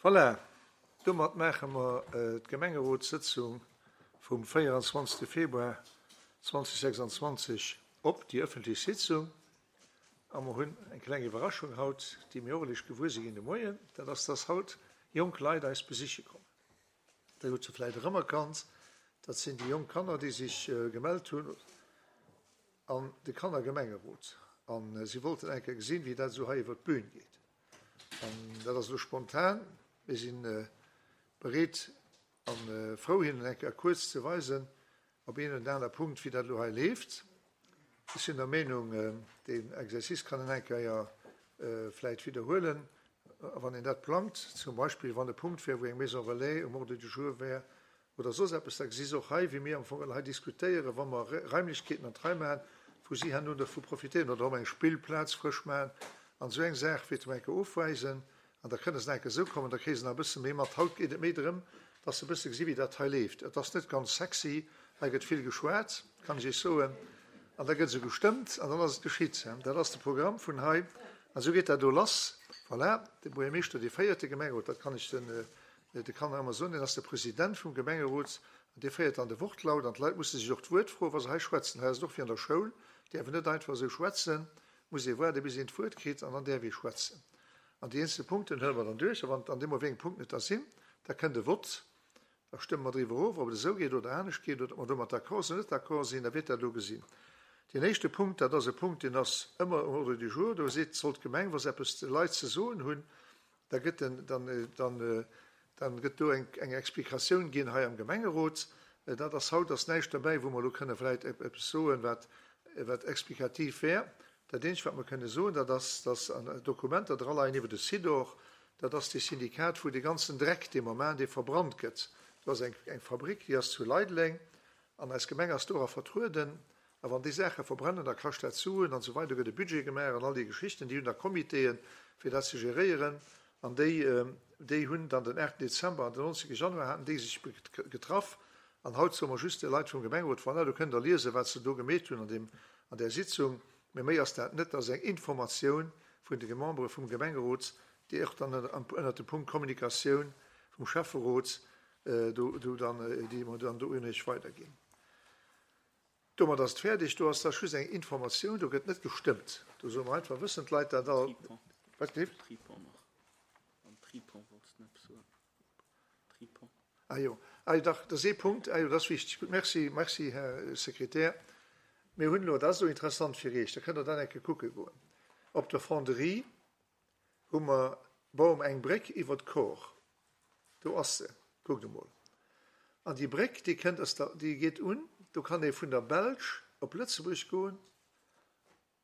Voilà, domat maache mer d'Gemengerotssëtzung vum 24. Februar 2026 op, déi ëffentlech Sitzung. A mer hunn eng kleng Iwwerraschung haut, déi mir och eréischt gewuer si ginn de Moien, dat ass, dass haut jonk Leit eis besiche kommen. Dir hutt se vläicht erëmerkannt, dat sinn déi jonk Kanner, déi sech gemellt hunn an de Kannergemengerot. A si wollten eng Kéier gesinn, wéi dat esou hei iwwer d'Bün geet. An dat ass elo spontan. Mir si bereet a frou, hinnen eng Kéier kuerz ze weisen, op een oder aner Punkt, wéi dat elo hei leeft. Ech sinn der Meenung, deen Exercice kann een eng Kéier vläicht widderhuelen, wann een dat plangt, zum Beispill wann e Punkt wär, wou eng Maison relais um Ordre du jour wär oder soss eppes, da gesi se och hei, wéi mir am Fong hei diskutéieren, wa mer Raimlechkeeten an d'Rei maachen, wou si herno dervu profitéieren, oder och eng Spillplaz frësch maachen an esou eng Saach wéi zum eng Kéier ofweisen an da kënne se nach eng Kéier esou kommen, da kréie se nach e bësse méi mat. Haut geet et méi drëm, dass se e bësse gesi wéi dat hei leeft. Et ass net ganz sexy, hei gëtt vill geschwat, kann ech Iech soen, an da gëtt esou gestëmmt an dann ass et geschitt. Dat ass de Programm vun hei an esou geet dat do lass. Voilà, de Buergermeeschter, dee féiert de Gemengerot, dat kann ech den De kann ëmmer soen, deen ass de President vum Gemengerot an dee féiert dann de Wortlaut an d'Leit musse sech och d'Wuert froen, wa se hei schwätzen. Hei ass et och wéi an der Schoul, däerf een net einfach esou schwätzen, muss ee waarde bis een d'Wuert kritt an dann däerf ee schwätzen. An déi eenzel Punkten huele mer dann duerch a wann an deem Moment wéi eng Punkten et da sinn, da kënnt e Vott, da stëmme mer driwwer of, ob et esou geet oder anescht geet oder ob mer domat d'accord sinn oder net d'accord sinn, da wiert dat elo gesinn. Deen éischte Punkt, dat ass e Punkt, deen ass ëmmer um Ordre du jour, do seet, soll d'Gemeng, wa se eppes de Leit ze soen hunn, Da gëtt den, dann, dann, dann gëtt do eng, eng Explikatioun ginn hei am Gemengerot. Dat ass haut ass näischt derbäi, wou mer elo kënne vläicht eppes soen, wat, wat explikativ wär. Dat eenzegt, wat mer kënne soen, dat ass, dass an Dokumenter draleien iwwer de Sidor, dat ass dee Syndikat, wou dee ganzen Dreck dee Moment, dee verbrannt gëtt. Do ass eng, eng Fabrik, déi ass zu Leideleng, an eis Gemeng ass dora vertrueden. A wann déi Saache verbrennen, da kascht dat Suen an esou weider, do gëtt e Budget gemaach an all déi Geschichten. Déi hunn da Comitéen, fir dat ze geréieren. An déi, déi hunn dann den 8 Dezember an den 19 Januar haten déi sech getraff. An haut soe mer just de Leit vum Gemengerot, voilà, do kënnt Der liesen, wat se do gemeet hunn an deem, an där Sitzung. Mee méi ass dat net. Dat ass eng Informatioun vun de Membere vum Gemengerot, déi och dann ënnert dem Punkt Kommunikatioun vum Schäfferot do, do dann, déi mer dann do un Iech weiderginn. Domat ass et fäerdeg. Do ass da just eng Informatioun, do gëtt net gestëmmt. Do soe mer einfach, wëssen d'Leit dat all. Wat geet? Tripont nach. Am Tripont wollts de eppes soen. Tripont. Ah jo, ah jo, dach, dat ass ee Punkt. Ah jo, dat ass wichteg. Gutt, merci, merci, Här Sekretär. Mir hunn elo, dat ass elo interessant fir Iech, da kënnt Der dat eng Kéier kucke goen, op der Fonderie hu mer, baue mer eng Bréck iwwer d'Kor. Do ass se, kuckt emol. An déi Bréck, déi kënnt aus der, déi geet un, do kann ee vun der Belsch op Lëtzebuerg goen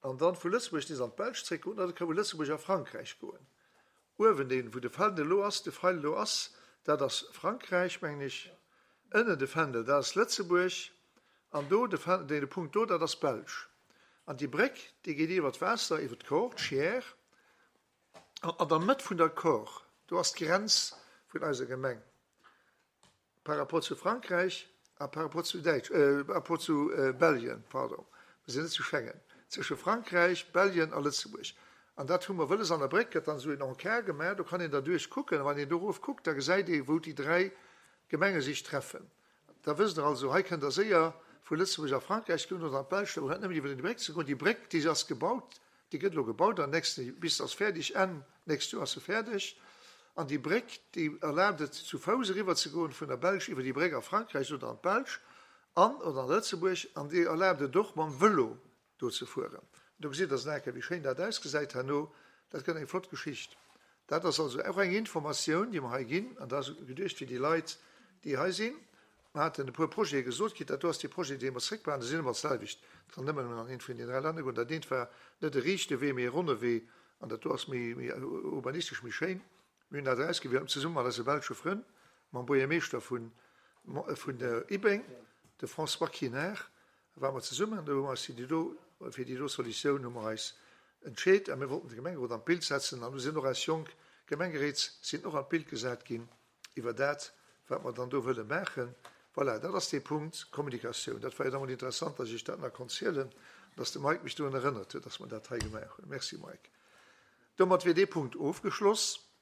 an dann vu Lëtzebuerg nees an d'Belsch zréckgoen oder et ka vu Lëtzebuerg a Frankräich goen. Uewen deen, wou de Fändel elo ass, de Feil elo ass, dat ass Frankräich, mengen ech. Ënnen de Fändel, dat ass Lëtzebuerg an do de Fändel, dee Punkt do, dat ass Belsch. An déi Bréck, déi geet iwwer d'Waasser, iwwer d'Kor, d'Chiers. An an der Mëtt vun der Kor, do ass d'Grenz vun eiser Gemeng par rapport zu Frankräich a par rapport zu Däitsch, par rapport zu Belgien, pardon, mer sinn net zu Schengen, zwësche Frankräich, Belgien a Lëtzebuerg. An dat hu mer wëlles. An der Bréck gëtt dann esou een Encart gemaach, do kann een derduerch kucken. A wann een do erof kuckt, da gesäit ee wou déi 3 Gemenge sech treffen. Da wësst Der also, hei kënnt Der séier vu Lëtzebuerg a Frankräich goen oder an d'Belsch, da brauch net nëmmen iwwer déi Bréck ze goen. Déi Bréck, déi ass gebaut, déi gëtt elo gebaut an nächste, bis se ass fäerdeg, Enn nächst Joer ass se fäerdeg. An déi Bréck, déi erlaabt et, zu Fouss eriwwer ze goen vun der Belsch iwwer déi Bréck a Frankräich oder an d'Belsch an oder an Lëtzebuerg. An déi erlaabt et och, mam Vëlo do ze fueren. Do gesitt Der nach eng Kéier, wéi schéin dat ausgesäit herno. Dat gëtt eng flott Geschicht. Dat ass also och eng Informatioun, déi mer hei ginn, an dat ass geduecht fir déi Leit, déi hei sinn. Mer haten e puer Projete gesot kritt. Dat do ass dee Projet, dee mer zréckbehalen. Déi sinn ëmmer d'selwecht. Et kann nëmmen an eent vun den 3 Länner goen. Dat eent war net e riichte Wee, mee e ronne Wee. An dat do ass méi, méi urbanistesch, méi schéin. Mir hunn dat erausgewielt zesumme mat eise belsche Frënn, mam Buergermeeschter vun, vun Ibeng, de François Quinard, Da ware mer zesummen an do hu mer eis fir déi do, fir déi do Solutioun hu mer eis entscheet a mir wollten de Gemengerot an d'Bild setzen an do sinn och eis jonk Gemengeréit sinn och an d'Bild gesat ginn iwwer dat, wat mer dann do wëlle maachen. Voilà, dat ass dee Punkt Kommunikatioun. Dat war jo da mol interessant, dass ech dat nach konnt zielen an dass de Mike mech dorun erënnert huet, dass mer dat hei gemaach hunn. Merci Mike. Domat wier dee Punkt ofgeschloss.